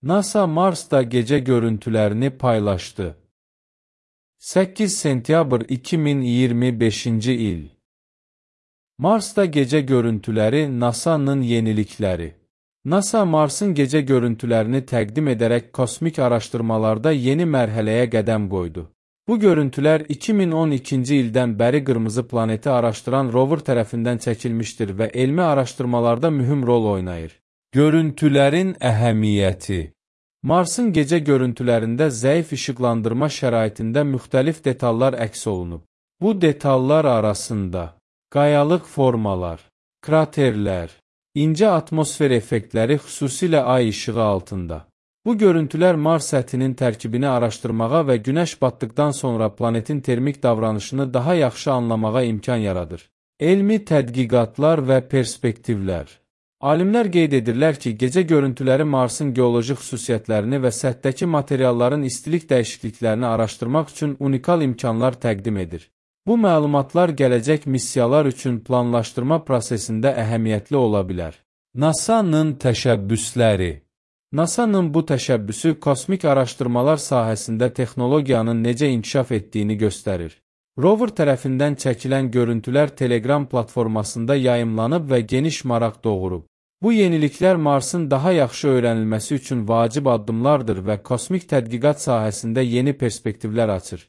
NASA Marsda gecə görüntülərini paylaşdı. 8 sentyabr 2025-ci il. Marsda gecə görüntüləri NASA'nın yenilikləri. NASA Marsın gecə görüntülərini təqdim edərək kosmik araşdırmalarda yeni mərhələyə qədəm qoydu. Bu görüntülər 2012-ci ildən bəri qırmızı planeti araşdıran rover tərəfindən çəkilmişdir və elmi araşdırmalarda mühüm rol oynayır. Görüntülərin əhəmiyyəti. Marsın gecə görüntülərində zəif işıqlandırma şəraitində müxtəlif detallar əks olunub. Bu detallar arasında qayalıq formalar, kraterlər, incə atmosfer effektləri xüsusilə ay işığı altında. Bu görüntülər Mars səthinin tərkibini araşdırmağa və günəş batdıqdan sonra planetin termik davranışını daha yaxşı anlamağa imkan yaradır. Elmi tədqiqatlar və perspektivlər. Alimlər qeyd edirlər ki, gecə görüntüləri Marsın geoloji xüsusiyyətlərini və səthdəki materialların istilik dəyişikliklərini araşdırmaq üçün unikal imkanlar təqdim edir. Bu məlumatlar gələcək missiyalar üçün planlaşdırma prosesində əhəmiyyətli ola bilər. NASA-nın təşəbbüsləri. NASA-nın bu təşəbbüsü kosmik araşdırmalar sahəsində texnologiyanın necə inkişaf etdiyini göstərir. Rover tərəfindən çəkilən görüntülər Telegram platformasında yayımlanıb və geniş maraq doğurub. Bu yeniliklər Marsın daha yaxşı öyrənilməsi üçün vacib addımlardır və kosmik tədqiqat sahəsində yeni perspektivlər açır.